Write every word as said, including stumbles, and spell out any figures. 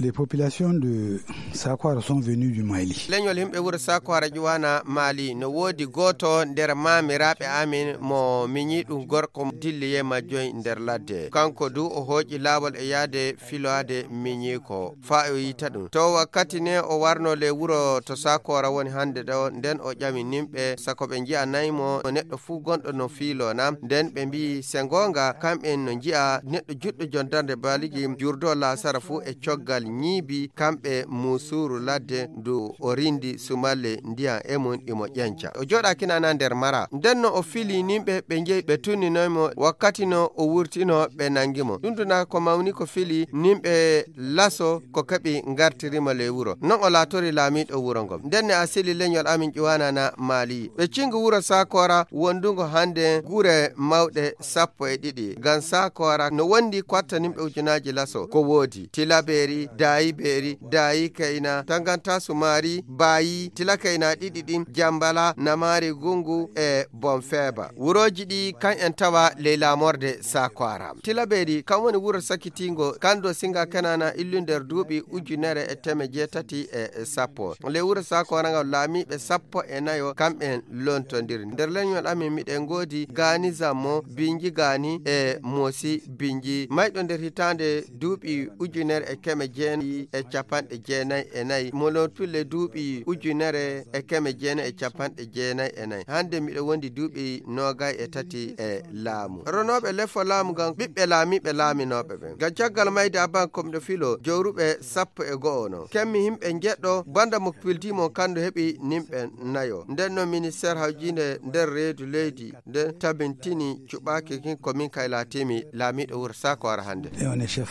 Les populations de Sakwara sont venues du Mali. Leñol yimɓe wuro Sakwara ƴuwana Mali, no woodi gooto nder maamiraaɓe amin mo miñi ɗum gorko dilli e majjoy nder ladde. Kanko du o hooƴi laawol e yaade filoade miñiiko faa o yiita ɗum. To wakkati ne o warno le wuro to Sakwara woni hannde ɗo, nden o ƴami nimɓe sako ɓe nji'anay mo neɗɗo fuu gonɗo no fiilo na. Nden ɓe mbi'i se ngoonga kamɓen no nji'a neɗɗo juɗɗo jondarde baligi jurdo laasara fuu e coggal ñiibi kamɓe muusuuru ladde ndu o rindi sumalle ndiyan e mum imo ƴenca. O jooɗaaki nana nder mara. Nden no o fili nimɓe ɓe njehi ɓe tunninoy mo wakkati no o wurtino ɓe nangi mo. Ɗum duna ko mawni ko fili nimɓe laso ko keɓi ngartiri mo ley wuro. Non o laatori laamiiɗo wuro ngon. Nden ne a sili leñol amin ƴuwanana Mali. Ɓe cingi wuro Sakoora wondungo hannde gure mawɗe sappo e ɗiɗi. Ngam Sakoora no wondi ko watta nimɓe ujunaaji laso. Ko woodi Tilabeeri, Daayi Beeri, Daayi Kayna, Tanganta Sumaari, Baayi, Tila Kayna ɗiɗi ɗin, Jambala, Namaari Gungu e Bonfeeba. Wurooji ɗi kan en tawa ley laamorde Sakoora. Tilabeeri kan woni wuro sakitiingo, kan do singa Kenana illu nder duuɓi ujunere e teme jeetati e sappo. Ley wuro Sakoora ngal laamiiɓe sappo e nayo kamɓen lontondiri. Nder leñol amin miɗen ngoodi Gaani Zammo, Binji Gaani e Moosi Binji. Mayɗo nder hitaande duuɓi ujunere e keme jeenayi e capanɗe jeenayi e nayi. Mo lontule duuɓi ujunere e keme jeenayi e capanɗe jeenayi e nayi. Hannde miɗo wondi duuɓi noogay e tati e laamu. Ronooɓe lefo laamu ngam ɓiɓɓe laamiiɓe laaminooɓe ɓen. Ngam caggal mayde Abban ko miɗo filo jowruɓe sappo e go'o non. Kemmi himɓe njeɗɗo banda mo pildi mo kando heɓi nimɓe nayo. Nden non ministère hawjinde nder reedu leydi nden tabintini cuɓaaki kin ko min kay laatimi laamiiɗo wuro Sakoora hannde. Et on est chef.